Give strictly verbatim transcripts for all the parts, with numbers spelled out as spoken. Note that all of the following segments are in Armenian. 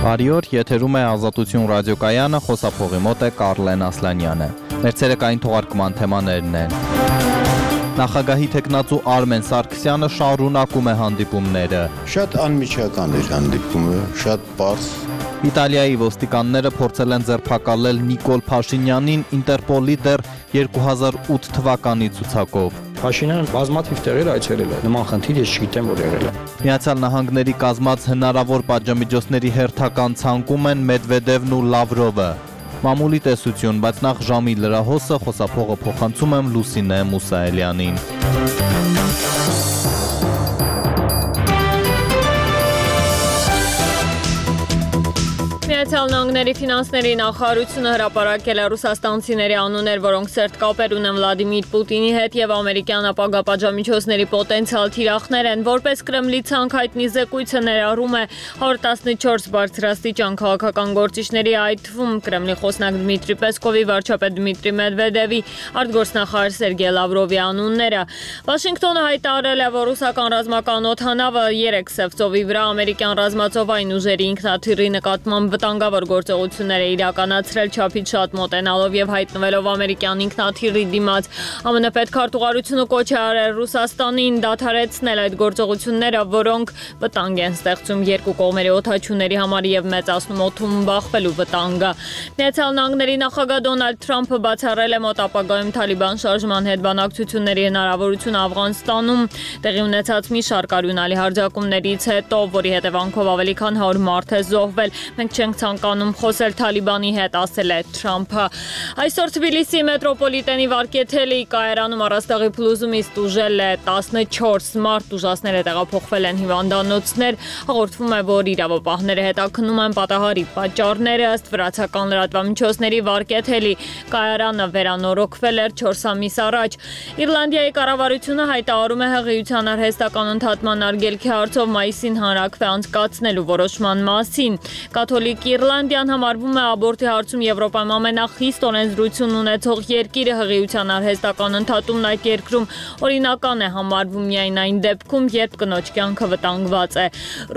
Բարի օր, եթերում է Ազատություն ռադիոկայանը, խոսափողի մոտ է Կարլեն Ասլանյանը։ Մեր ցերեկային թողարկման թեմաներն են. Նախագահի տեխնացու Արմեն Սարգսյանը շարունակում է հանդիպումները։ Շատ անմիջական էր հանդիպումը, շատ պարզ։ Իտալիայի ոստիկանները փորձել են ձերբակալել Նիկոլ Փաշինյանին Ինտերպոլի դեռ երկու հազար ութ թվականի ցուցակով։ Փաշինյանը բազմաթիվ տեղեր այցելել է, նման խնդիր ես չգիտեմ, որ եղել է։ Միացյալ Նահանգների կազմած հնարավոր պատժամիջոցների հերթական ցանկում են Մեդվեդևն ու Լավրովը։ Մամուլի տեսություն, բայց նախ ժամի լրահոսը, խոսափողը փոխանցում եմ Լուսինե Մուսայելյանին։ Միացյալ Նահանգների ֆինանսների նախարարությունը հրապարակել է ռուսաստանցիների անուններ, որոնք սերտ կապեր ունեն Վլադիմիր Պուտինի հետ եւ ամերիկյան ապագա պատժամիջոցների պոտենցիալ թիրախներ են, որպես Կրեմլի ցանկ հայտնի զեկույցը ներառում է հարյուր տասնչորս բարձրաստիճան քաղաքական գործիչների, այդ թվում Կրեմլի խոսնակ Դմիտրի Պեսկովի, վարչապետ Դմիտրի Մեդվեդևի, արտգործնախարար Սերգեյ Լավրովի անունները։ Վաշինգտոնը հայտարարել է, որ ռուսական ռազմական օդանավը երեք Սև ծովի վրա ամերիկյան ռազմածովային ուժերի ինքնաթիռի նկատմամբ վտանգավոր գործողություններ է իրականացրել չափից շատ մոտենալով եւ հայտնվելով ամերիկյան ինքնաթիռի դիմաց։ ԱՄՆ պետքարտուղարությունը կոչ է արել Ռուսաստանին դադարեցնել այդ գործողությունները, որոնք վտանգ են ստեղծում երկու կողմերի օդաչուների համար եւ մեծացնում օդում բախվելու վտանգը։ Միացյալ Նահանգների նախագահ Դոնալդ Թրամփը բացառել է մոտ ապագայում Թալիբան շարժման հետ բանակցությունների հնարավորությունը Աֆղանստանում տեղի ունեցած մի շարք արյունալի հարձակումներից հետո, որի հետևանքով ավելի քան հարյուր մարդ է զոհվել։ Մենք չենք ցանկանում խոսել Թալիբանի հետ, ասել է Թրամփը։ Այսօր Թբիլիսի մետրոպոլիտենի Վարքեթելի կայարանում առաստաղի փլուզումից տուժել է տասնչորս մարդ, տուժածները տեղափոխվել են հիվանդանոցներ։ Հաղորդվում է, որ իրավապահները հետաքննում են պատահարի պատճառները, ըստ վրացական լրատվամիջոցների Վարքեթելի կայարանը վերանորոգվել էր չորս ամիս առաջ։ Իռլանդիայի կառավարությունը հայտարարում է հղիության արհեստական ընդհատման արգելքի հարցով մայիսին հանրաքվե անցկացնելու որոշման մասին։ Կաթոլիկ Իռլանդիան համարվում է աբորտի հարցում Եվրոպայում ամենախիստ օրենսդրություն ունեցող երկիրը, հղիության արհեստական ընդհատումն այդ երկրում օրինական է համարվում միայն այն դեպքում, երբ կնոջ կյանքը վտանգված է։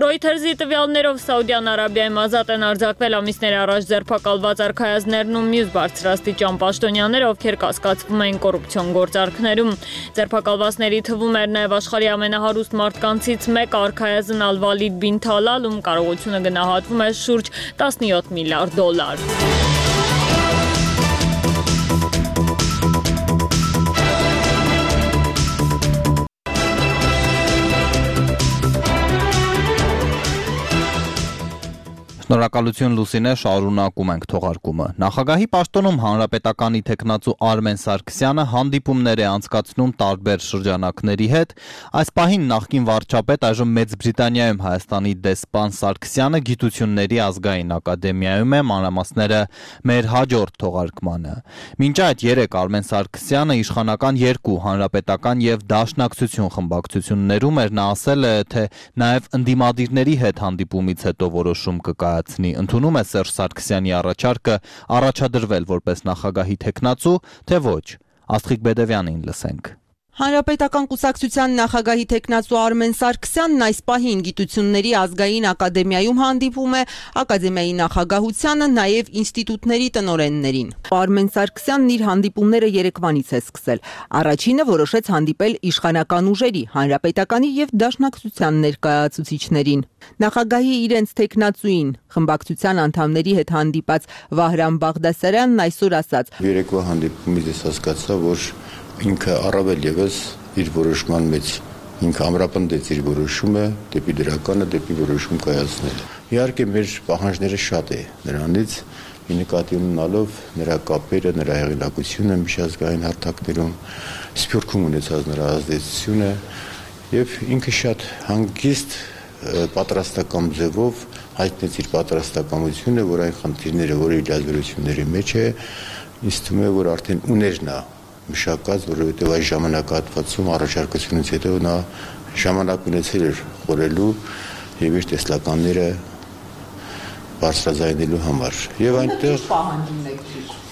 Reuters-ի տվյալներով Սաուդյան Արաբիայում ազատ են արձակվել ամիսներ առաջ ձերբակալված արքայազներն ու մյուս բարձրաստիճան պաշտոնյաներ, ովքեր կասկածվում էին կոռուպցիոն գործարքներում։ Ձերբակալվածների թվում էր նաև աշխարհի ամենահարուստ մարդկանցից մեկը արքայազն Ալ-Վալիդ բին Թալալ, ում կարողությունը գնահատվում է շուրջ տասնյոթ միլիարդ դոլար։ Շնորհակալություն Լուսինե, շարունակում ենք թողարկումը։ Նախագահի պաշտոնում հանրապետականի տեխնացու Արմեն Սարգսյանը հանդիպումներ է անցկացնում տարբեր շրջանակների հետ։ Այս պահին նախկին վարչապետ, այժմ Մեծ Բրիտանիայում Հայաստանի դեսպան Սարգսյանը Գիտությունների ազգային ակադեմիայում է, մանրամասները մեր հաջորդ թողարկմանը։ Մինչ այդ երեկ Արմեն Սարգսյանը իշխանական երկու հանրապետական եւ դաշնակցություն խմբակցություններում էր, նա ասել է, թե նաեւ ընդդիմադիրների հետ հանդիպումից հետո որոշում կկա Ընդունում է Սերժ Սարգսյանի առաջարկը առաջադրվել որպես նախագահի տեխնացու, թե ոչ։ Աստղիկ Բեդևյանին լսենք։ Հանրապետական կուսակցության նախագահի տեխնացու Արմեն Սարգսյանն այս պահին Գիտությունների ազգային ակադեմիայում հանդիպում է ակադեմիայի նախագահությանը, նաև ինստիտուտների տնօրեններին։ Արմեն Սարգսյանն իր հանդիպումները երեկվանից է սկսել։ Առաջինը որոշեց հանդիպել իշխանական ուժերի, հանրապետականի եւ դաշնակցության ներկայացուցիչներին։ Նախագահի իրենց տեխնացուին, խմբակցության անդամների հետ հանդիպած Վահրամ Բաղդասարյանն այսօր ասաց. Երեկվա հանդիպումից ես հասկացա, որ ինքը առավել եւս իր որոշման մեջ ինքը ամրապնդեց իր որոշումը դեպի դրականը, դեպի որոշում կայացնել։ Իհարկե մեր պահանջները շատ է նրանից, ի նկատի ունենալով նրա կապերը, նրա հեղինակությունը միջազգային հարթակներում, Սփյուռքում ունեցած նրա ազդեցությունը եւ ինքը շատ հանգիստ պատրաստական ձևով հայտնեց իր պատրաստակամությունը, որ այն խնդիրները, որ իր լիազորությունների մեջ է, ինձ թվում է, որ արդեն ուներ նա մշակած, որովհետև այս ժամանակահատվածում առաջարկությունից հետո նա ժամանակ ունեցել էր խորելու եւ իր տեսլականները բարձրաձայնելու համար։ Եվ այնտեղ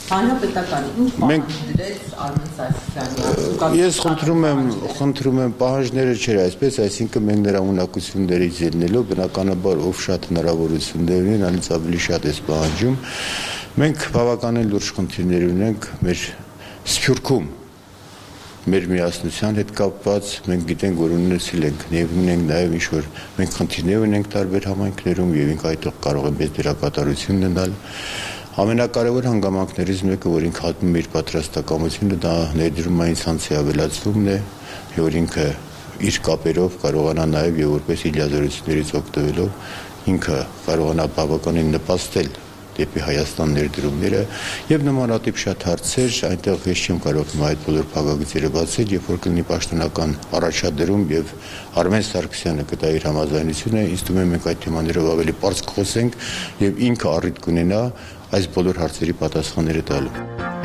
Հանրապետականի ինչ պահանջ դրեց Արմեն Սարգսյանը։ Ես խնդրում եմ, խնդրում եմ պահանջները չէր այսպես, այսինքն մենք նրա ունակություններից ելնելով բնականաբար ով շատ հնարավորություններ ունեն, անից ավելի շատ էս պահանջում։ Մենք բավականին լուրջ խնդիրներ ունենք մեր Սփյուռքում մեր միասնության հետ կապված, մենք գիտենք, որ ունեցել ենք, ունենք նաև ինչ-որ մենք խնդիրներ ունենք տարբեր համայնքներում եւ ինք այդտեղ կարող են մեծ դերակատարություն ունենալ։ Ամենակարևոր հանգամանքներից մեկը, որ ինքը հատնում է իր պատրաստակամությունը, դա ներդրումային ցանցի ավելացումն է, որ ինքը իր կապերով կարողանա նաև եւ որպես իլիազորություններից օգտվելով ինքը կարողանա բավականին նպաստել դեպի Հայաստան ներդրումները եւ նմանատիպ շատ հարցեր, այնտեղ ես չեմ կարող այդ բոլոր փակագծերը բացել, երբ որ կլինի պաշտոնական առաջադրում եւ Արմեն Սարգսյանը կտա իր համաձայնությունը, ինձ թվում է մենք այդ թեմաներով ավելի པարզ կխոսենք եւ ինքը առիթ կունենա այս բոլոր հարցերի պատասխանները տալու։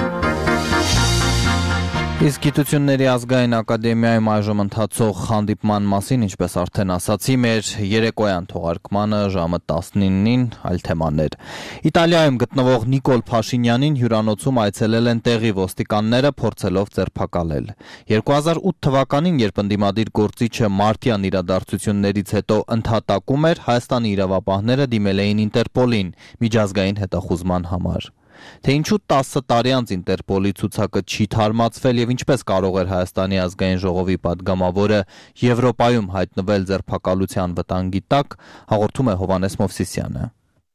Իսկ Գիտությունների ազգային ակադեմիայում այժմ ընթացող հանդիպման մասին, ինչպես արդեն ասացի, մեր երեկոյան թողարկմանը ժամը տասնինին այլ թեմաներ։ Իտալիայում գտնվող Նիկոլ Փաշինյանին հյուրանոցում այցելել են տեղի ոստիկանները, փորձելով ձերբակալել։ երկու հազար ութ թվականին, երբ ընդդիմադիր գործիչը մարտյան իրադարձություններից հետո ընդհատակում էր, Հայաստանի իրավապահները դիմել էին Ինտերպոլին միջազգային հետախուզման համար։ Թե ինչու տասը տարի անց Ինտերպոլի ցուցակը չի թարմացվել եւ ինչպես կարող էր Հայաստանի ազգային ժողովի падգամավորը Եվրոպայում հայտնվել ձերբակալության վտանգի տակ, հաղորդում է Հովհաննես Մովսիսյանը։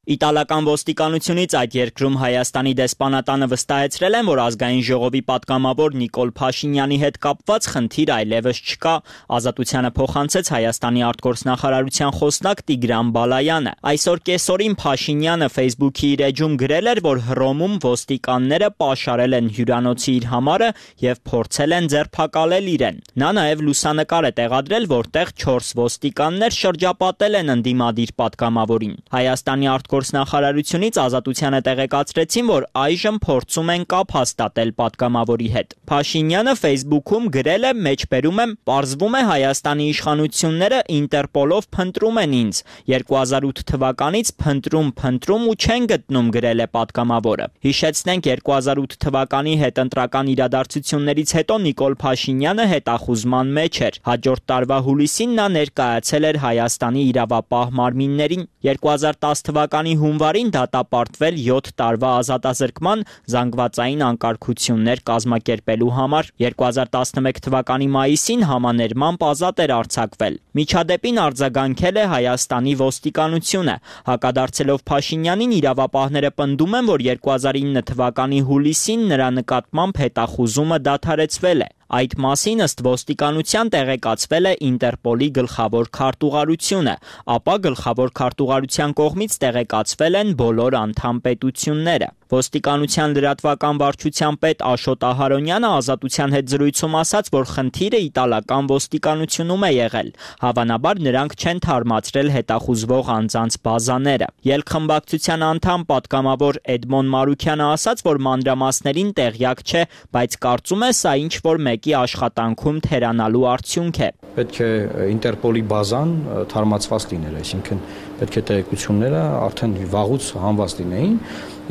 Իտալական ոստիկանությունից այդ երկրում Հայաստանի դեսպանատանը վստահեցրել են, որ ազգային ժողովի պատգամավոր Նիկոլ Փաշինյանի հետ կապված խնդիր այլևս չկա, ազատությանը փոխանցեց Հայաստանի արտգործնախարարության խոսնակ Տիգրան Բալայանը։ Այսօր կեսօրին Փաշինյանը Facebook-ի իր էջում գրել էր, որ Հռոմում ոստիկանները պաշարել են հյուրանոցի իր համարը եւ փորձել են ձերբակալել իրեն։ Նա նաեւ լուսանկար է տեղադրել, որտեղ չորս ոստիկաններ շրջապատել են ընդդիմադիր պատգամավորին։ Հայաստանի Գործնախարարությունից ազատությանը տեղեկացրեցին, որ այժմ փորձում են կապ հաստատել պատգամավորի հետ։ Փաշինյանը Facebook-ում գրել է, մեջբերում եմ, պարզվում է Հայաստանի իշխանությունները Ինտերպոլով փնտրում են ինձ։ երկու հազար ութ թվականից փնտրում, փնտրում ու չեն գտնում, գրել է պատգամավորը։ Հիշեցնենք, երկու հազար ութ թվականի հետընտրական իրադարձություններից հետո Նիկոլ Փաշինյանը հետախուզման մեջ էր։ Հաջորդ տարվա հուլիսին նա ներկայացել էր Հայաստանի իրավապահ մարմիններին։ երկու հազար տասը թվականի հունվարին դատապարտվել յոթ տարվա ազատազրկման զանգվածային անկարգություններ կազմակերպելու համար։ երկու հազար տասնմեկ թվականի մայիսին համաներմամբ ազատ էր արձակվել։ Միջադեպին արձագանքել է Հայաստանի ոստիկանությունը։ Հակադարձելով Փաշինյանին, իրավապահները պնդում են, որ երկու հազար ինը թվականի հուլիսին նրա նկատմամբ հետախուզումը դադարեցվել է։ Այդ մասին ըստ ոստիկանության տեղեկացվել է Ինտերպոլի գլխավոր քարտուղարությունը, ապա գլխավոր քարտուղարության կողմից տեղեկացվել են բոլոր անդամ պետությունները։ Ոստիկանության լրատվական վարչության պետ Աշոտ Ահարոնյանը ազատության հետ զրույցում ասաց, որ խնդիրը իտալական ոստիկանությունում է եղել։ Հավանաբար նրանք չեն թարմացրել հետախուզվող անձանց բազաները։ Ելքխմբակցության անդամ պատգամավոր Էդմոն Մարուքյանը ասաց, որ մանրամասներին տեղյակ չէ, բայց կարծում է սա ինչ որ մեկի աշխատանքում թերանալու արդյունք է։ Պետք է Ինտերպոլի բազան թարմացված լիներ, այսինքն պետք է տեղեկությունները արդեն վաղուց հանված լինեին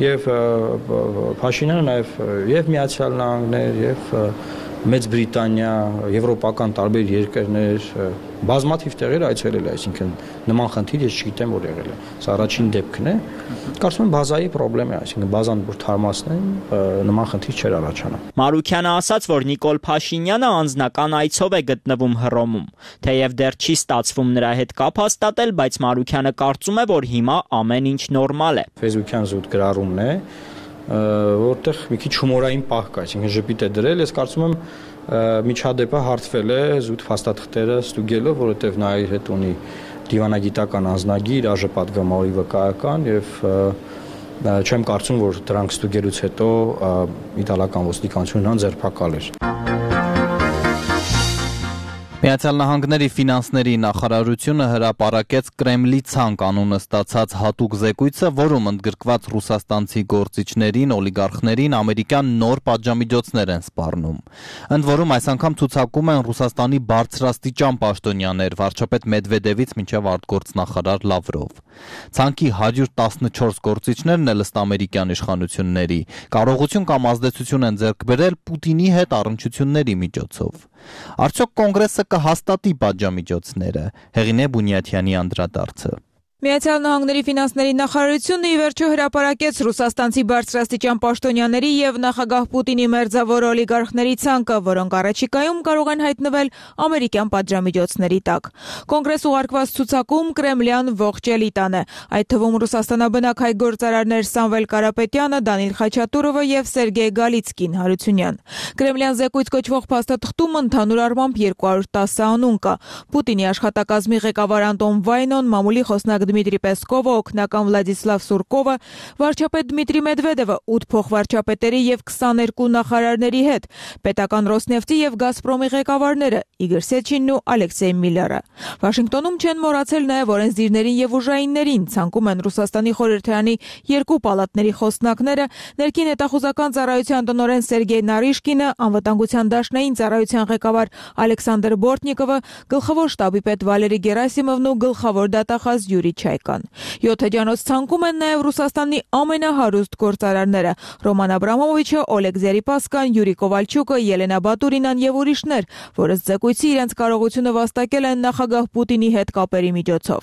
եւ Փաշինյանը նաեւ եւ Միացյալ Նահանգներ եւ Մեծ Բրիտանիա, եվրոպական տարբեր երկրներ, բազմաթիվ տեղեր այցելել է, այսինքն նման խնդիր ես չգիտեմ, որ եղել է։ Սա առաջին դեպքն է։ Կարծում եմ բազայի խնդրեմ է, այսինքն բազան որ թարմացնեն, նման խնդիր չէր առաջանա։ Մարուքյանը ասաց, որ Նիկոլ Փաշինյանը անձնական այցով է գտնվում Հռոմում։ Թեև դեռ չի ստացվում նրա հետ կապ հաստատել, բայց Մարուքյանը կարծում է, որ հիմա ամեն ինչ նորմալ է։ Facebook-յան զուտ գրառումն է, որտեղ մի քիչ հումորային պահ կա, այսինքն ժպիտ է դրել, ես կարծում եմ միջադեպը հարթվել է զուտ փաստաթղթերը ստուգելով, որովհետև նա իր հետ ունի դիվանագիտական անձնագիր, ԱԺ պատգամավորի վկայական եւ չեմ կարծում, որ դրանք ստուգելուց հետո իտալական ոստիկանությունն ձերբակալեր։ Միացյալ Նահանգների ֆինանսների նախարարությունը հրապարակեց Կրեմլի ցանկ անունը ստացած հատուկ զեկույցը, որում ընդգրկված ռուսաստանցի գործիչներին, օլիգարխներին ամերիկյան նոր պատժամիջոցներ են սպառնում։ Ընդ որում այս անգամ ցուցակում են Ռուսաստանի բարձրաստիճան պաշտոնյաներ, վարչապետ Մեդվեդևից մինչև արտգործնախարար Լավրով։ Ցանկի հարյուր տասնչորս գործիչներն էլ ըստ ամերիկյան իշխանությունների կարողություն կամ ազդեցություն են ձեռք բերել Պուտինի հետ առնչությունների միջոցով։ Արդյոք կոնգրեսը կհաստատի պատժամիջոցները, Հեղինե Բունյաթյանի անդրադարձը։ Միացյալ Նահանգների ֆինանսների նախարարությունը ի վերջո հրապարակեց ռուսաստանցի բարձրաստիճան պաշտոնյաների եւ նախագահ Պուտինի մերձավոր օլիգարխների ցանկը, որոնք առաջիկայում կարող են հայտնվել ամերիկյան պատժամիջոցների տակ։ Կոնգրես ուղարկված ցուցակում Կրեմլյան ողջ էլիտան է, այդ թվում ռուսաստանաբնակ հայ գործարարներ Սամվել Կարապետյանը, Դանիլ Խաչատուրովը եւ Սերգեյ Գալիցկին Հարությունյան։ Կրեմլյան զեկույց կոչվող փաստաթղթում ընդհանուր առմամբ երկու հարյուր տասը անուն կա։ Պուտինի աշխատակազմի ղեկավար Անտոն Վայնոն, մամուլի խոսնակ Դմիտրի Պեսկովը, օգնական Վլադիսլավ Սուրկովը, վարչապետ Դմիտրի Մեդվեդևը, ութ փոխվարչապետերի եւ քսաներկու նախարարների հետ, պետական Ռոսնեֆտի եւ Գազպրոմի ղեկավարները Իգոր Սեչինն ու Ալեքսեյ Միլլերը։ Վաշինգտոնում չեն մոռացել նաեւ օրենսդիրներին եւ ուժայիններին, ցանկում են Ռուսաստանի խորհրդարանի երկու պալատների խոսնակները, ներքին հետախուզական ծառայության տնօրեն Սերգեյ Նարիշկինը, անվտանգության դաշնային ծառայության ղեկավար Ալեքսանդր Բորտնիկովը, գլխավոր շտաբի պետ Վալերի Գերասիմովն ու գլխավոր դատախազ Յուրի Չայկան։ Յոթ էջանոց ցանկում են նաև Ռուսաստանի ամենահարուստ գործարարները՝ Ռոման Աբրամովիչը, Օլեգ Զերիպասկան, Յուրի Կովալչուկը, Ելենա Բատուրինան եւ ուրիշներ, որոնց զեկույցի իրենց կարողությունը վաստակել են նախագահ Պուտինի հետ կապերի միջոցով։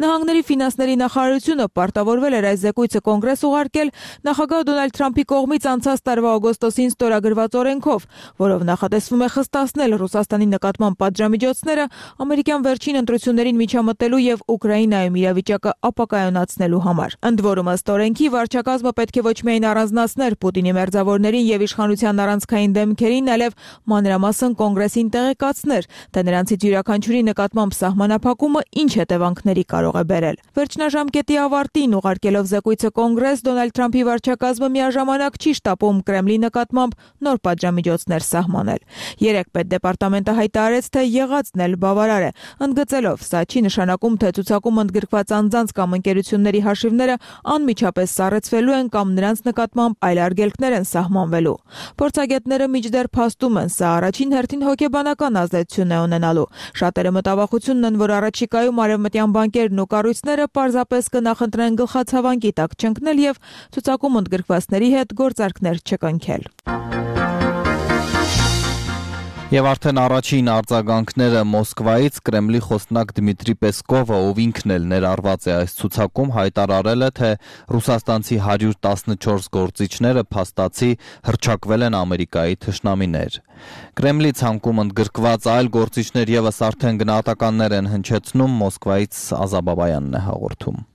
Նահանգների ֆինանսների նախարարությունը պարտավորվել էր այս զեկույցը կոնգրես ուղարկել նախագահ Դոնալդ Թրամփի կողմից անցած տարվա օգոստոսին ստորագրված օրենքով, որով նախատեսվում է խստացնել Ռուսաստանի նկատմամբ պատժամիջոցները ամերիկյան վերջին ընտրություններին միջամտելու եւ Ուկրաինայում իրավիճակը ապակայունացնելու համար։ Ընդ որում ըստ օրենքի վարչակազմը պետք է ոչ միայն առանձնացներ Պուտինի մերձավորներին եւ իշխանության առանցքային դեմքերին, այլև մանրամասն կոնգրեսին տեղեկացներ, թե նրանցից յուրաքանչյուրի նկատմամբ սահմանափակումը ինչ հետևանքների կարող է բերել։ Վերջնաժամկետի ավարտին ուղարկելով զեկույցը կոնգրես, Դոնալդ Թրամփի վարչակազմը միաժամանակ չի շտապում Կրեմլի նկատմամբ նոր պատժամիջոցներ սահմանել։ Երեք պետդեպարտամենտը հայտարարեց, թե եղածն էլ բավարար է, ընդգծելով, սա չի նշանակում, թե ցուցակում ընդգրկված անձանց կամ ընկերությունների հաշիվները անմիջապես սառեցվելու են կամ նրանց նկատմամբ այլ արգելքներ են սահմանվելու։ Փորձագետները մինչդեռ փաստում են, սա առաջին հերթին հոգեբանական ազդեցություն է ունենալու։ Շատերը մտավախությունն են, որ առաջիկայում արևմտյան բանկերն ու կառույցները պարզապես կնախընտրեն գլխացավանքի տակ չընկնել եւ ցուցակում ընդգրկվածների հետ գործարքներ չկնքել։ Եվ արդեն առաջին արձագանքները Մոսկվայից Կրեմլի խոսնակ Դմիտրի Պեսկովը, ով ինքն էլ ներառված է այս ցուցակում, հայտարարել է, թե ռուսաստանցի հարյուր տասնչորս գործիչները փաստացի հռչակվել են Ամերիկայի թշնամիներ։ Կրեմլի ցանկում ընդգրկված այլ գործիչներ եւս արդեն գնահատականներ են հնչեցնում, Մոսկվայից Ազա Բաբայանն է հաղորդում։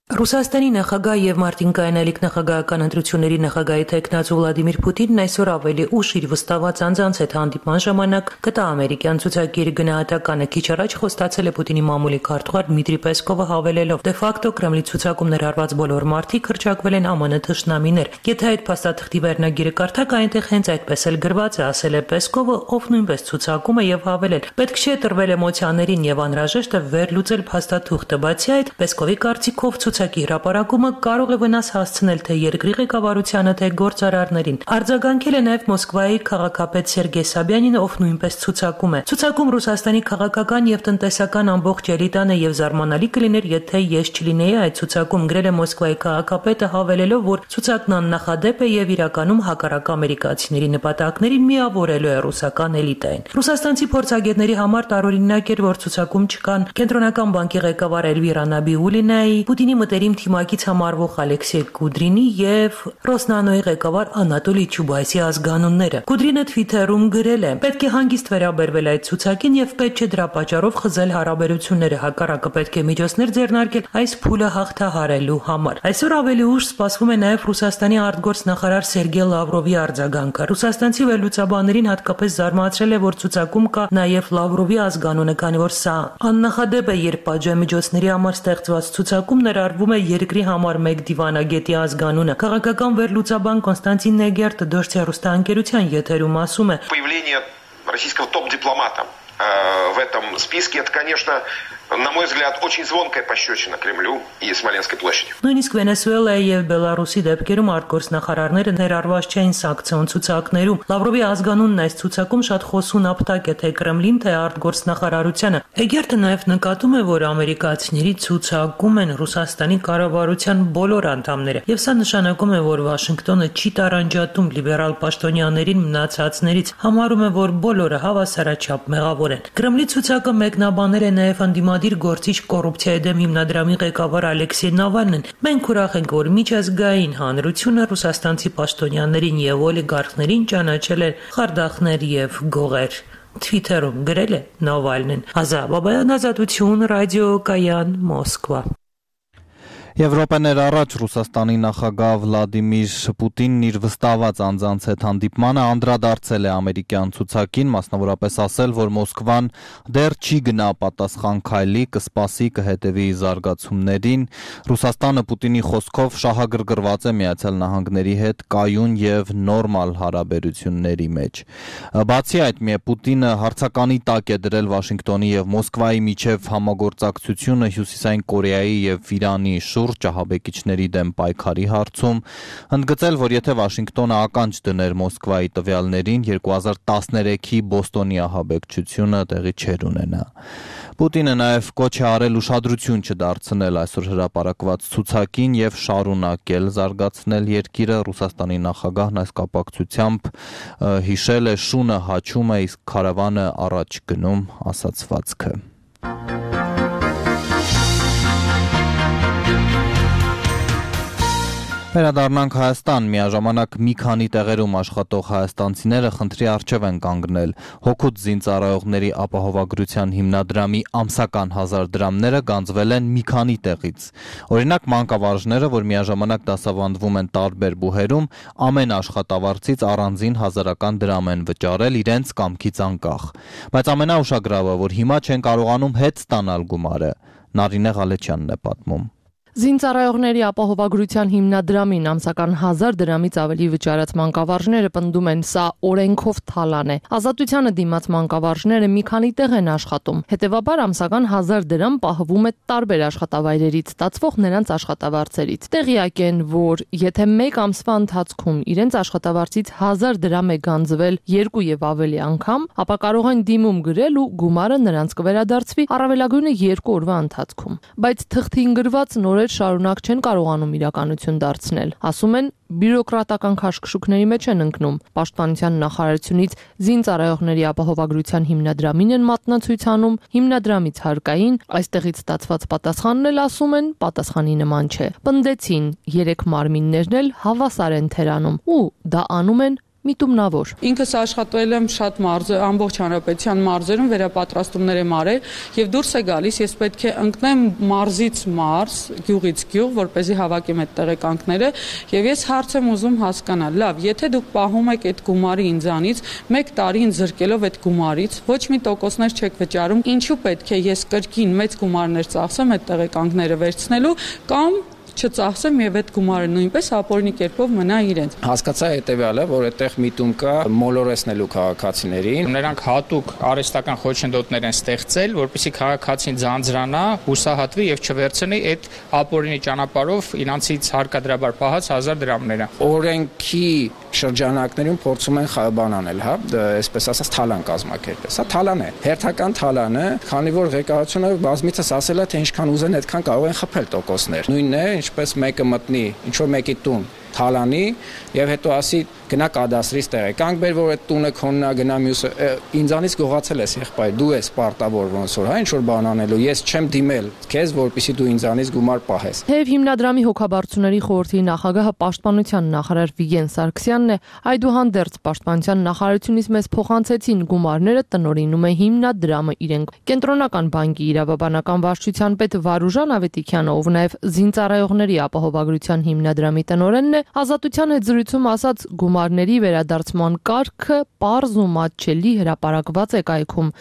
Ռուսաստանի նախագահ եւ Մարտին Կայանալիք նախագահական ընտրությունների նախագահի տեխնացու Վլադիմիր Պուտինն այսօր ավելի ուշ իր վստահված անձանց հետ հանդիպման ժամանակ կտա ամերիկյան ցուցակի գնահատականը։ Քիչ առաջ խոստացել է Պուտինի մամուլի քարտուղար Դմիտրի Պեսկովը հավելելով. «Դե ֆակտո Կրեմլի ցուցակում ներառված բոլոր մարդիկ հռչակվել են ԱՄՆ թշնամիներ։ Եթե այդ փաստաթղթի վերնագիրը կարդաք, այնտեղ հենց այդպես էլ գրված է», ասել է Պեսկովը, ով նույնպես ցուցակում է եւ հավելել. «Պետք չէ տրվել էմոցիաներին եւ անհրաժեշտ է վերլուծել փաստաթուղթը»։ Բացի այդ, Պեսկովի կարծիքով ցուցակի հրապարակումը կարող է վնաս հասցնել թե երկրի ղեկավարությանը, թե գործարարներին։ Արձագանքել է նաև Մոսկվայի քաղաքապետ Սերգեյ Սաբյանինը, ով նույնպես ցուցակում է։ Ցուցակում Ռուսաստանի քաղաքական եւ տնտեսական ամբողջ էլիտան է եւ զարմանալի կլիներ, եթե ես չլինեի այդ ցուցակում, գրել է Մոսկվայի քաղաքապետը, հավելելով, որ ցուցակն աննախադեպ է եւ իրականում հակառակ ամերիկացիների նպատակներին միավորելու է ռուսական էլիտային։ Ռուսաստանցի փորձագետների համար տարօրինակ էր, որ ցուցակում չկան Կենտրոնական բանկի ղեկավար Էլվիրա Նաբիուլինայի, Պուտինի մտերիմ թիմակից համարվող Ալեքսեյ Կուդրինի եւ Ռոսնանոյի ղեկավար Անատոլի Չուբայսի ազգանունները։ Կուդրինը Twitter-ում գրել է. «Պետք է հանգիստ վերաբերվել այդ ցուցակին եւ պետք չէ դրա պատճառով խզել հարաբերությունները, հակառակը պետք է միջոցներ ձեռնարկել այս փուլը հաղթահարելու համար»։ Այսօր ավելի ուշ սպասվում է նաեւ Ռուսաստանի արտգործնախարար Սերգեյ Լավրովի արձագանքը։ Ռուսաստանցի վերլուծաբաններին հատկապես զարմացրել է, որ ցուցակում կա նաեւ Լավրովի ազգանունը, քանի որ սա աննախադեպ է, երբ պատժամիջոցների համար ստեղծված ցուցակում ներառվում է երկրի համար մեկ դիվանագետի ազգանունը։ Քաղաքական վերլուծաբան Կոնստանտին Նեգերտը Դոժց հեռուստաընկերության եթերում ասում է. «Появление российского топ-дипломата в этом списке, это, конечно, на мой взгляд, очень звонкая пощечина Кремлю и Смоленской площади. Նույնիսկ Վենեսուելայի եւ Բելարուսի դեպքերում արտգործնախարարները ներառված չէին սանկցիոն ցուցակներում։ Լավրովի ազգանունն այս ցուցակում շատ խոսուն ապտակ է թե Կրեմլին, թե արտգործնախարարությանը։ Էգերտը նաեւ նկատում է, որ ամերիկացիների ցուցակում են Ռուսաստանի կառավարության բոլոր անդամները, եւ սա նշանակում է, որ Վաշինգտոնը չի տարանջատում լիբերալ պաշտոնյաներին մնացածներից, համարում է, որ բոլորը հավասարաչափ մեղավոր են։ Կրեմլի ցուցակը մեկնաբանել է նաեւ անդիմադիր գործիչ կոռուպցիայի դեմ հիմնադրամի ղեկավար Ալեքսեյ Նավալնին։ Մենք ուրախ ենք, որ միջազգային հանրությունը ռուսաստանցի պաշտոնյաներին եւ օլիգարխներին ճանաչել է խարդախներ եւ գողեր։ Թվիթերում գրել է Նավալնին։ Ազա Բաբայան, Ազատություն, ռադիո Կայան, Մոսկվա։ Եվրոպաներ առաջ Ռուսաստանի նախագահ Վլադիմիր Պուտինն իր վստահված անձանց հետ հանդիպմանը անդրադարձել է ամերիկյան ցուցակին, մասնավորապես ասել, որ Մոսկվան դեռ չի գնա պատասխան քայլի, կսպասի, կհետևի զարգացումներին։ Ռուսաստանը Պուտինի խոսքով շահագրգռված է Միացյալ Նահանգների հետ կայուն եւ նորմալ հարաբերությունների մեջ։ Բացի այդ, Պուտինը հարցականի տակ է դրել Վաշինգտոնի եւ Մոսկվայի միջև համագործակցությունը Հյուսիսային Կորեայի եւ Իրանի շուրջ ահաբեկիչների դեմ պայքարի հարցում, ընդգծել, որ եթե Վաշինգտոնը ականջ դներ Մոսկվայի տվյալներին, երկու հազար տասներեքի Բոստոնի ահաբեկչությունը տեղի չէր ունենա։ Պուտինը նաև կոչ է արել ուշադրություն չդարձնել այսօր հրապարակված ցուցակին եւ շարունակել զարգացնել երկիրը։ Ռուսաստանի նախագահն այս կապակցությամբ հիշել է շունը հաչում է, իսկ քարավանը առաջ գնում ասացվածքը։ Վերադառնանք Հայաստան, միաժամանակ մի քանի տեղերում աշխատող հայաստանցիները խնդրի առջև են կանգնել։ Հօգուտ զինծառայողների ապահովագրության հիմնադրամի ամսական հազար դրամները գանձվել են մի քանի տեղից։ Օրինակ, մանկավարժները, որ միաժամանակ դասավանդվում են տարբեր բուհերում, ամեն աշխատավարձից առանձին հազարական դրամ են վճարել իրենց կամքից անկախ։ Բայց ամենաուշագրավը, որ հիմա չեն կարողանում հետ ստանալ գումարը, Նարինե Ղալեչյանն է պատմում։ Զինծառայողների ապահովագրության հիմնադրամին ամսական հազար դրամից ավելի վճարած մանկավարժները պնդում են, սա օրենքով թալան է։ Ազատությանը դիմաց մանկավարժները մի քանի տեղ են աշխատում։ Հետևաբար ամսական հազար դրամ պահվում է տարբեր աշխատավայրերից ստացվող նրանց աշխատավարձերից։ Տեղյակ են, որ եթե մեկ ամսվա ընթացքում իրենց աշխատավարձից հազար դրամ է գանձվել երկու եւ ավելի անգամ, ապա կարող են դիմում գրել ու գումարը նրանց կվերադարձվի առավելագույնը երկու օրվա ընթացքում։ Բայց թղթին գրված նորեր շարունակ չեն կարողանում իրականություն դարձնել։ Ասում են, բյուրոկրատական քաշքշուկների մեջ են ընկնում։ Պաշտպանության նախարարությունից զինծառայողների ապահովագրության հիմնադրամին են մատնացույց անում, հիմնադրամից հարկային, այստեղից ստացված պատասխանն էլ ասում են, պատասխանի նման չէ։ Պնդեցին, երեք մարմիններն էլ հավասար են թերանում ու դա անում են միտումնավոր։ Ինքս աշխատել եմ շատ մարզեր, ամբողջ հանրապետության մարզերում վերապատրաստումներ եմ արել եւ դուրս է գալիս, ես պետք է ընկնեմ մարզից մարզ, գյուղից գյուղ, որպեսզի հավաքեմ այդ տեղեկանքները եւ ես հարց եմ ուզում հասկանալ։ Լավ, եթե դուք պահում եք այդ գումարը ինձանից, մեկ տարին զրկելով այդ գումարից, ոչ մի տոկոսներ չեք վճարում, ինչու պետք է ես կրկին մեծ գումարներ ծախսեմ այդ տեղեկանքները վերցնելու կամ չծախսեմ եւ այդ գումարը նույնպես ապօրինի կերպով մնա իրենց։ Հասկացա հետեւյալը, որ այդտեղ միտում կա մոլորեսնելու քաղաքացիներին։ Նրանք հատուկ արհեստական խոչընդոտներ են ստեղծել, որպեսզի քաղաքացին ձանձրանա, հուսահատվի եւ չվերցնի այդ ապօրինի ճանապարհով իրանցից հարկադրաբար պահած հազար դրամները։ Օրենքի շրջանակներում փորձում են բան անել, հա, այսպես ասած թալան կազմակերպել։ Սա թալան է, հերթական թալան է, քանի որ ղեկավարությունը բազմիցս ասել է, թե ինչքան ուզեն, այդքան կարող են խփել տոկոսներ։ Նույնն է, ինչպես մեկը մտնի ինչ որ մեկի տուն թալանի եւ հետո ասի գնա կադաստրից տեղեկանք բեր, որ այդ տունը քոնն է, գնա մյուսը ինձանից գողացել ես եղբայր, դու ես պարտավոր ոնց որ, հա, ինչ որ բան անելու, ես չեմ դիմել քեզ, որպեսզի դու ինձանից գումար պահես։ Թեև հիմնադրամի հոգաբարձուների խորհրդի նախագահը պաշտպանության նախարար Վիգեն Սարգսյանն է, այդուհանդերձ պաշտպանության նախարարությունից մեզ փոխանցեցին գումարները տնօրինում է հիմնադրամը իրենք։ Կենտրոնական բանկի իրավաբանական վարչության պետ Վարուժան Ավետիքյանը, ով նաև զինծառայողների ապահովագրության հիմնադրամի տնօրենն է, Ազատության հետ զրույցում ասաց, գումարների վերադարձման կարգը պարզ ու մատչելի հրապարակված է կայքում։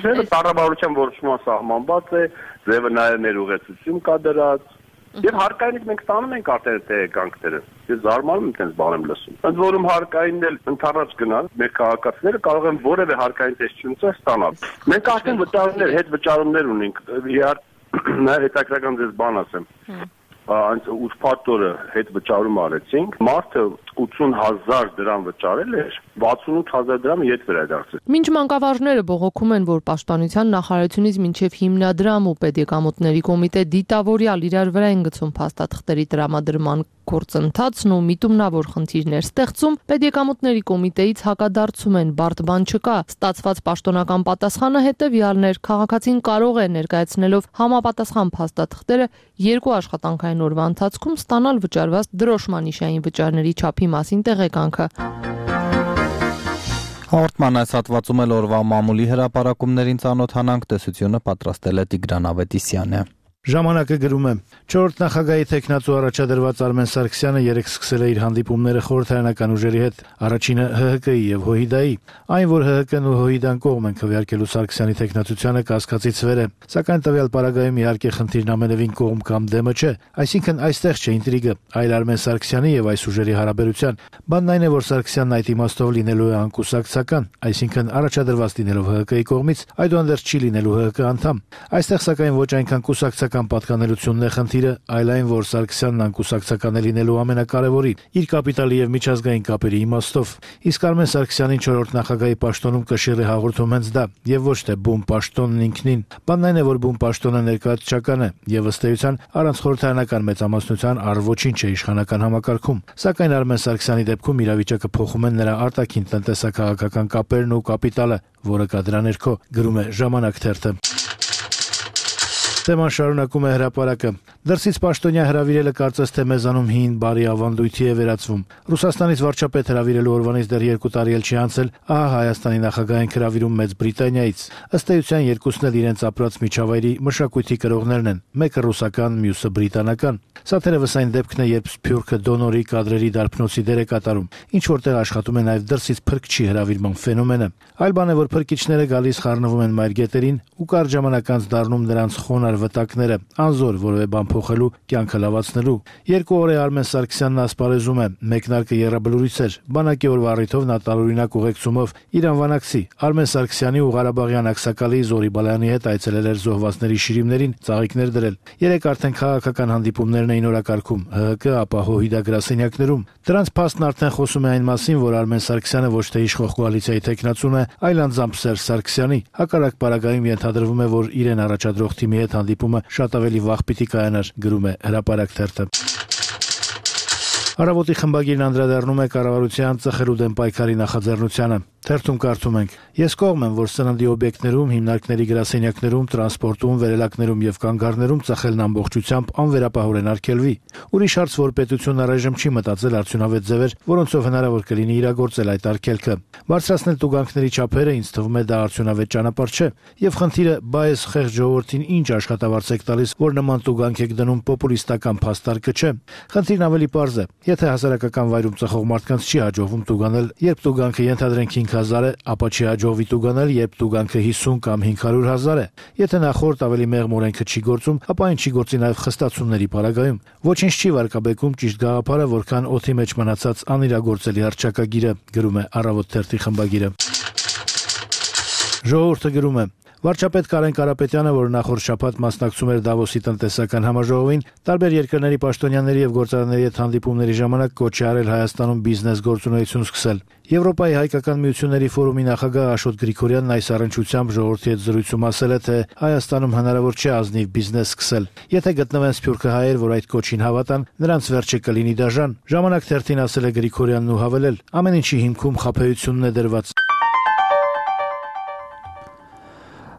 Ձևը կառավարության որոշումով սահմանված է, ձևը նաև ներուղեցություն կա դրած, Եվ հարկայինից մենք ստանում ենք արդեն տեղեկանքները։ Ես զարմանում եմ այդպես բան եմ լսում։ Ընդ որում հարկայինն էլ ընդառաջ գնալ, մեր քաղաքացիները կարող են որևէ հարկային տեսչություն ստանալ։ Մենք արդեն վճարումներ, հետ վճարումներ ունենք։ Իհարկե հետաքրքրական ձեզ բան ասեմ։ Անց ուսփաթորը հետ վճարում արեցինք, մարդը ութսուն հազար դրամ վճարել էր, վաթսունութ հազար դրամը ետ վերադարձել։ Մինչ մանկավարժները բողոքում են, որ պաշտպանության նախարարությունից մինչև հիմնադրամ ու պետեկամուտների կոմիտե դիտավորյալ իրար վրա են գցում փաստաթղթերի տրամադրման գործընթացն ու միտումնավոր խնդիրներ ստեղծում, պետեկամուտների կոմիտեից հակադարձում են, բարդ բան չկա, ստացված պաշտոնական պատասխանը հետևյալն էր, քաղաքացին կարող է ներկայացնելով համապատասխան փաստաթղթերը երկու աշխատանքային օրվա ընթացքում ստանալ վճարված դրոշմանիշային վճարների չափի մասին տեղեկանքը։ Հաղորդման այս հատվածում էլ օրվա մամուլի հրապարակումներին ծանոթանանք, տեսությունը պատրաստել է Տիգրան Ավետիսյանը։ Ժամանակը գրում է. չորրորդ նախագահի տեխնացու առաջադրված Արմեն Սարգսյանը երեկ սկսել է իր հանդիպումները խորհրդարանական ուժերի հետ, առաջինը Հ Հ Կի եւ Հոհիդայի, այն որ Հ Հ Կն ու Հոհիդան կողմ են քվեարկելու Սարգսյանի տեխնացությանը կասկածից վեր է, սակայն տվյալ պարագայում իհարկե խնդիրն ամենևին կողմ կամ դեմը չէ, այսինքն այստեղ չէ ինտրիգը, այլ Արմեն Սարգսյանի եւ այս ուժերի հարաբերության։ Բանն այն է, որ Սարգսյանն այդ իմաստով լինելու է անկուսակցական, այսինքն առաջադրված լինելով Հ Հ Կի կողմից, այդուհանդերձ չի լինելու Հ Հ Կ անդամ։ Այստեղ սակայն ոչ այնքան կուսակցական պատկանելությունն է խնդիրը, այլ այն, որ Սարգսյանն անկուսակցական է լինելու ամենակարևորի իր կապիտալի եւ միջազգային կապերի իմաստով։ Իսկ Արմեն Սարգսյանին չորրորդ նախագահի պաշտոնում կշիռ է հաղորդում հենց դա, եւ ոչ թե բուն պաշտոնն ինքնին։ Բանն այն է, որ բուն պաշտոնը ներկայացչական է եւ ըստ էության առանց խորհրդարանական մեծամասնության առ ոչինչ է իշխանական համակարգում։ Սակայն Արմեն Սարգսյանի դեպքում իրավիճակը փոխում են նրա արտաքին տնտեսական կապերն ու կապիտալը, որը կա դրա ներքո, գրում է Ժամանակ թերթը։ Թեման շարունակում է հրապարակը։ Դրսից պաշտոնյա հրավիրելը կարծես թե մեզանում հին բարի ավանդույթի է վերածվում։ Ռուսաստանից վարչապետ հրավիրելու օրվանից դեռ երկու տարի էլ չի անցել, ահա Հայաստանի նախագահային հրավիրում Մեծ Բրիտանիայից։ Ըստ էության երկուսն էլ իրենց ապրած միջավայրի մշակույթի կրողներն են, մեկը ռուսական, մյուսը բրիտանական։ Սա թերևս այն դեպքն է, երբ Սփյուռքը դոնորի կադրերի դարբնոցի դեր է կատարում, ինչ որտեղ աշխատում է նաև դրսից փրկչի հրավիրման ֆենոմենը։ Այլ բան է, որ փրկիչները գալիս խառնվում են մայրգետերին ու կարճ ժամանակ անց դառնում նրանց խոնար վտակները, անզոր որևէ բան փոխելու, կյանքը լավացնելու։ Երկու օր է Արմեն Սարգսյանն ասպարեզում է, մեկնարկը եռաբլուրից էր, բանակի օրվա առիթով նա տարօրինակ ուղեկցումով իր անվանակցի Արմեն Սարգսյանի ու Ղարաբաղյան ակսակալի Զորի Բալայանի հետ այցելել էր զոհվածների շիրիմներին ծաղիկներ դրել։ Երեք արդեն քաղաքական հանդիպումներն էին օրակարգում Հ Հ Կ, ապա Հոհիդա գրասենյակներում։ Դրանց փաստն արդեն խոսում է այն մասին, որ Արմեն Սարգսյանը ոչ թե իշխող կոալիցիայի տեխնացուն է, այլ անձամբ Սերժ Սարգսյանի։ Հակառակ պարագայում ենթադրվում է, որ իրեն առաջադրող թիմի հետ հանդիպումը շատ ավելի վաղ պիտի կայանար, գրում է Հրապարակ թերթը։ Առավոտի խմբագիրն անդրադառնում է կառավարության ծխելու դեմ պայքարի նախաձեռնությանը։ Թերթում կարդում ենք. Ես կողմ եմ, որ սննդի օբյեկտներում, հիմնարկների գրասենյակներում, տրանսպորտում, վերելակներում եւ կանգառներում ծխելն ամբողջությամբ անվերապահորեն արգելվի։ Ուրիշ հարց, որ պետությունն առայժմ չի մտածել արդյունավետ ձևեր, որոնցով հնարավոր կլինի իրագործել այդ արգելքը։ Բարձրացնել տուգանքների չափերը ինձ թվում է դա արդյունավետ ճանապարհ չէ։ Եվ խնդիրը բայես խեղճ ժողովրդին ինչ աշխատավարձ եք տալիս, որ նման տուգանք եք դնում պոպուլիստական փաստարկը չէ։ Խնդիրն ավելի պարզ է։ Եթե հասարակական վայրում ծխող մարդկանց չի հաջողվում տուգանել, երբ տուգանքը ենթադրենք հինգ հազար է, ապա չի հաջողվի տուգանել, երբ տուգանքը հիսուն կամ հինգ հարյուր հազար է։ Եթե նախորդ ավելի մեղմ օրենքը չի գործում, ապա այն չի գործի նաև խստացումների պարագայում։ Ոչինչ չի վարկաբեկում ճիշտ գաղափարը, որքան օդի մեջ մնացած անիրագործելի հռչակագիրը, գրում է Առավոտ թերթի խմբագիրը։ Ժողովուրդը գրում է. Վարչապետ Կարեն Կարապետյանը, որ նախորդ շաբաթ մասնակցում էր Դավոսի տնտեսական համաժողովին, տարբեր երկրների պաշտոնյաների եւ գործարանների հետ հանդիպումների ժամանակ կոչ է արել Հայաստանում բիզնես գործունեություն սկսել։ Եվրոպայի հայկական միությունների ֆորումի նախագահ Աշոտ Գրիգորյանն այս առնչությամբ ժողովրդի հետ զրույցում ասել է, թե Հայաստանում հնարավոր չէ ազնիվ բիզնես սկսել։ Եթե գտնվեն սփյուռքը հայեր, որ այդ կոչին հավատան, նրանց վերջը կլինի դաժան։ Ժամանակ թերթին ասել է Գրիգորյանն ու հավելել. ամեն ինչի հիմքում խաբեությունն է դրված։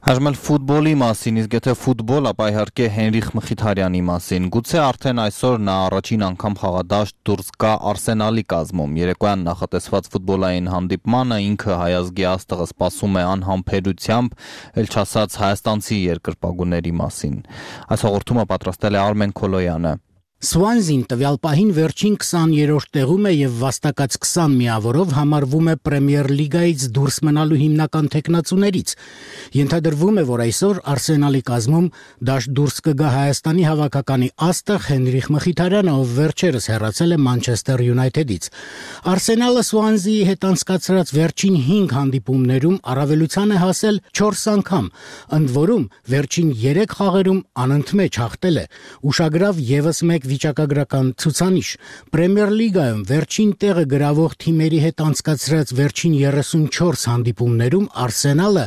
Այժմ էլ ֆուտբոլի մասին, իսկ եթե ֆուտբոլ, ապա իհարկե Հենրիխ Մխիթարյանի մասին։ Գուցե արդեն այսօր նա առաջին անգամ խաղադաշտ դուրս գա Արսենալի կազմում։ Երեկոյան նախատեսված ֆուտբոլային հանդիպմանը ինքը հայազգի աստղը սպասում է անհամբերությամբ, ել չասած հայաստանցի երկրպագուների մասին։ Այս հաղորդումը պատրաստել է Արմեն Քոլոյանը։ Սուանզին տվյալ պահին վերջին քսաներորդ տեղում է եւ վաստակած քսան միավորով համարվում է Պրեմիեր լիգայից դուրս մնալու հիմնական թեկնածուներից։ Ենթադրվում է, որ այսօր Արսենալի կազմում դաշտ դուրս կգա Հայաստանի հավաքականի աստղ Հենրիխ Մխիթարյանը, ով վերջերս հեռացել է Մանչեսթեր Յունայթեդից։ Արսենալը Սուանզիի հետ անցկացրած վերջին հինգ հանդիպումներում առավելության է հասել չորս անգամ, ընդ որում վերջին երեք խաղերում անընդմեջ հաղթել է։ Ուշագրավ եւս մեկ վիճակագրական ցուցանիշ։ Պրեմիեր լիգայում վերջին տեղը գրավող թիմերի հետ անցկացրած վերջին երեսունչորս հանդիպումներում Արսենալը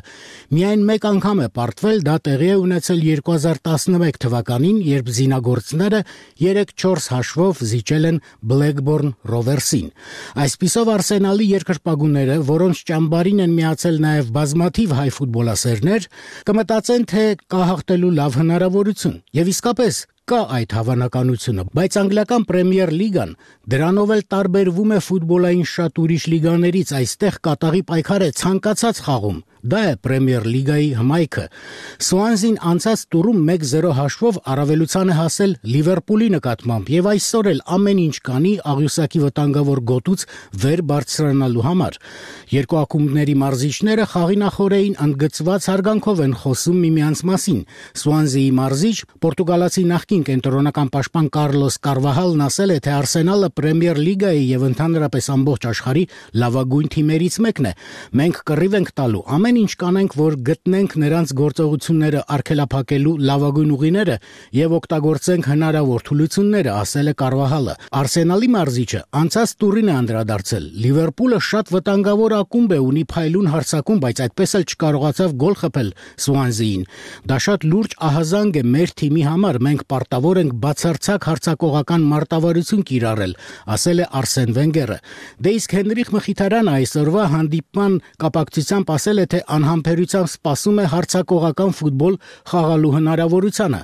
միայն մեկ անգամ է պարտվել, դա տեղի է ունեցել երկու հազար տասնմեկ թվականին, երբ զինագործները երեք չորս հաշվով զիջել են Բլեքբորն Ռովերսին։ Այսպիսով Արսենալի երկրպագուները, որոնց ճամբարին են միացել նաև բազմաթիվ հայ ֆուտբոլասերներ, կմտածեն, թե կա հաղթելու լավ հնարավորություն։ Եվ իսկապես կա այդ հավանականությունը, բայց անգլիական Պրեմիեր լիգան դրանով էլ տարբերվում է ֆուտբոլային շատ ուրիշ լիգաներից, այստեղ կատաղի պայքար է ցանկացած խաղում։ Դա է Պրեմիեր լիգայի հմայքը։ Սուանզին անցած տուրում մեկ զիրո հաշվով առավելության է հասել Լիվերպուլի նկատմամբ եւ այսօր էլ ամեն ինչ կանի աղյուսակի վտանգավոր գոտուց վեր բարձրանալու համար։ Երկու ակումբների մարզիչները խաղի նախօրեին ընդգծված հարգանքով են խոսում միմյանց մասին։ Սուանզիի մարզիչ պորտուգալացի նախկին կենտրոնական պաշտպան Կարլոս Կարվահալն ասել է, թե Արսենալը Պրեմիեր լիգայի եւ ընդհանրապես ամբողջ աշխարհի լավագույն թիմերից մեկն է։ Մենք կռիվ ենք տալու, ամեն ինչ կանենք, որ գտնենք նրանց գործողությունները արգելափակելու լավագույն ուղիները եւ օգտագործենք հնարավոր թուլությունները, ասել է Կարվահալը։ Արսենալի մարզիչը անցած տուրին է անդրադարձել։ Լիվերպուլը շատ վտանգավոր ակումբ է, ունի փայլուն հարձակում, բայց այդպես էլ չկարողացավ գոլ խփել Սուանզիին։ Դա շատ լուրջ ահազանգ է մեր թիմի համար, մենք պարտավոր ենք բացարձակ հարձակողական մարտավարություն կիրառել, ասել է Արսեն Վենգերը։ Դե իսկ Հենրիխ Մխիթարյանը այսօրվա հանդիպման կապակցությամբ ասել է, թե անհամբերությամբ սպասում է հարձակողական ֆուտբոլ խաղալու հնարավորությանը։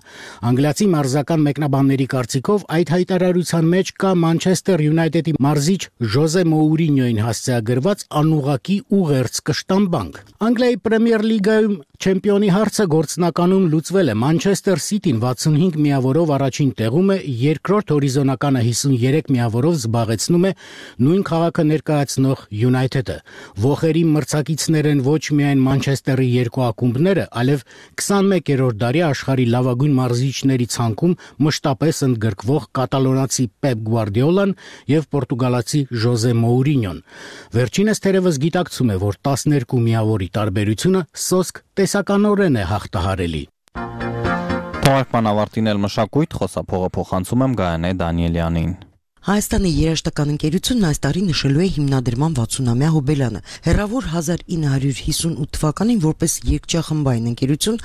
Անգլիացի մարզական մեկնաբանների կարծիքով այդ հայտարարության մեջ կա Մանչեսթեր Յունայթեդի մարզիչ Ժոզե Մոուրինյոին հասցեագրված անուղղակի ուղերձ կշտամբանք։ Անգլիայի Պրեմիեր լիգայում չեմպիոնի հարցը գործնականում լուծվել է։ Մանչեսթեր Սիթին վաթսունհինգ միավորով առաջին տեղում է, երկրորդ հորիզոնականը հիսունյուրեք միավորով զբաղեցնում է նույն քաղաքը ներկայացնող Յունայթեդը։ Ոխերի մրցակիցներ են ոչ միայն Մանչեսթերի երկու ակումբները, այլև քսանմեկերորդ դարի աշխարհի լավագույն մարզիչների ցանկում մշտապես ընդգրկվող կատալոնացի Պեպ Գուարդիոլան եւ պորտուգալացի Ժոզե Մոուրինյոն։ Վերջինս թերևս գիտակցում է, որ տասներկու միավորի տարբերությունը սոսկ տեսականորեն է հաղթահարելի։ Թողարկման ավարտին էլ մշակույթ խոսափողը փոխանցում եմ Գայանե Դանիելյանին։ Հայաստանի երաժշտական ընկերությունն այս տարի նշելու է հիմնադրման վաթսունամյա հոբելյանը։ Հեռավոր հազար ինը հարյուր հիսունութ թվականին որպես երգչախմբային ընկերություն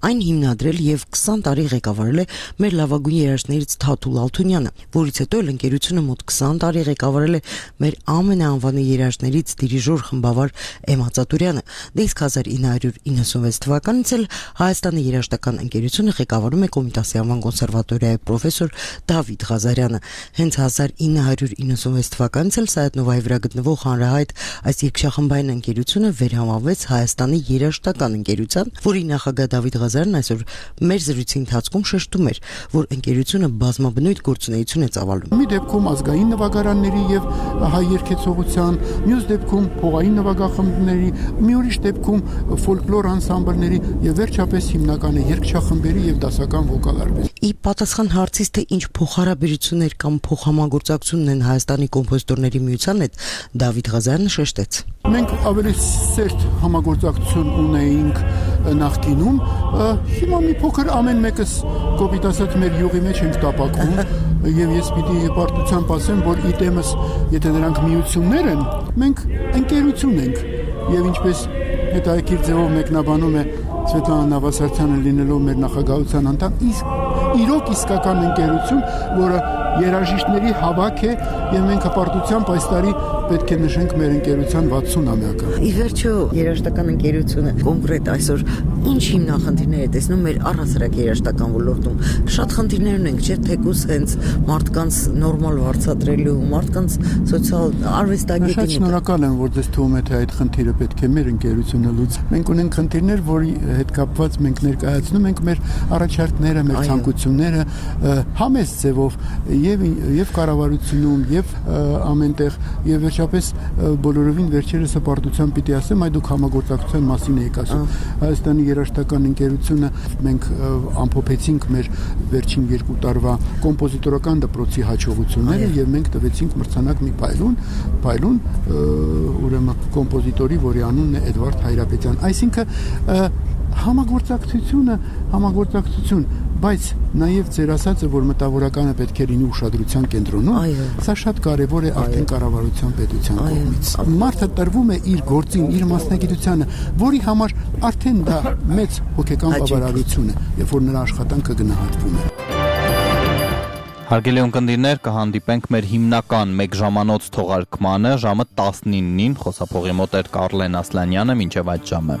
այն հիմնադրել եւ քսան տարի ղեկավարել է մեր լավագույն երաժշտներից Թաթուլ Ալթունյանը, որից հետո էլ ընկերությունը մոտ քսան տարի ղեկավարել է մեր ամենաանվանի երաժշտներից դիրիժոր խմբավար Էմմա Ծատուրյանը։ Դե իսկ հազար ինը հարյուր իննսունվեց թվականից էլ Հայաստանի երաժշտական ընկերությունը ղեկավարում է Կոմիտասի անվան կոնսերվատորիայի պրոֆեսոր Դավիթ Ղազարյանը։ Հենց հազար ինը հարյուր իննսունվեց թվականից էլ Սայաթ-Նովայի վրա գտնվող հանրահայտ այս երգչախմբային ընկերությունը վերհամավեց Հայաստանի երաժշտական ընկերության, որի նախագահ Դավիթ Ղազարյանն այսօր մեր զրույցի ընթացքում շեշտում էր, որ ընկերությունը բազմաբնույթ գործունեություն է ծավալում։ Մի դեպքում ազգային նվագարանների եւ հայ երգեցողության, մյուս դեպքում փողային նվագախմբների, մի ուրիշ դեպքում ֆոլկլոր անսամբլների եւ վերջապես հիմնական է երգչախմբերի եւ դասական վոկալ արվեստ։ Ի պատասխան հարցից, թե ինչ փոխհարաբերություններ կամ փոխհամագործակցություն ունեն Հայաստանի կոմպոզիտորների միության հետ, Դավիթ Ղազարյանը շեշտեց։ Մենք ավելի սերտ համագործակցություն ունեինք նախկինում, հիմա մի փոքր ամեն մեկս կոպիտ ասած մեր յուղի մեջ ենք տապակվում եւ ես պիտի պարտությամբ ասեմ, որ իտեմս, եթե նրանք միություններ են, մենք ընկերություն ենք եւ ինչպես հետաքրքիր ձևով մեկնաբանում է Սվետլանա Նավասարդյանը լինելով մեր նախագահության անդամ, իսկ իրոք իսկական ընկերություն, որը երաժիշտների հավաք է եւ մենք հպարտությամբ այս տարի պետք է նշենք մեր ընկերության վաթսունամյակը։ Ի վերջո երաժշտական ընկերությունը կոնկրետ այսօր ինչ հիմնախնդիրներ է տեսնում մեր առհասարակ երաժշտական ոլորտում։ Շատ խնդիրներ ունենք, չէ՞, թեկուզ հենց մարդկանց նորմալ վարձատրելու, մարդկանց սոցիալ արվեստագետին։ Շատ շնորհակալ եմ, որ դες թվում է թե այդ խնդիրը պետք է մեր ընկերությունը լուծի։ Մենք ունենք խնդիրներ, որի հետ կապված մենք ներկայացնում ենք մեր առաջարկները, մեր ցանկությունները համեստ ձևով եւ եւ կառավարությունում եւ ամենտեղ եւ վերջապես բոլորովին վերջերս հպարտությամբ պիտի ասեմ, այ դուք համագործակցության մասին եք ասում։ Հայաստանի երաժշտական ընկերությունը մենք ամփոփեցինք մեր վերջին երկու տարվա կոմպոզիտորական դպրոցի հաջողությունները եւ մենք տվեցինք մրցանակ մի փայլուն, փայլուն ուրեմն կոմպոզիտորի, որի անունն է Էդվարդ Հայրապետյան։ Այսինքն համագործակցությունը, համագործակցություն, բայց նաև ձեր ասածը, որ մտավորականը պետք է լինի ուշադրության կենտրոնում, սա շատ կարևոր է արդեն կառավարության պետության կողմից։ Մարդը տրվում է իր գործին, իր մասնագիտությանը, որի համար արդեն դա մեծ հոգեկան բավարարություն է, երբ որ նրա աշխատանքը գնահատվում է։ Հարգելի ունկնդիրներ, կհանդիպենք մեր հիմնական մեկ ժամանոց թողարկմանը ժամը տասնինին, խոսափողի մոտ էր Կարլեն Ասլանյանը, մինչև այդ ժամը։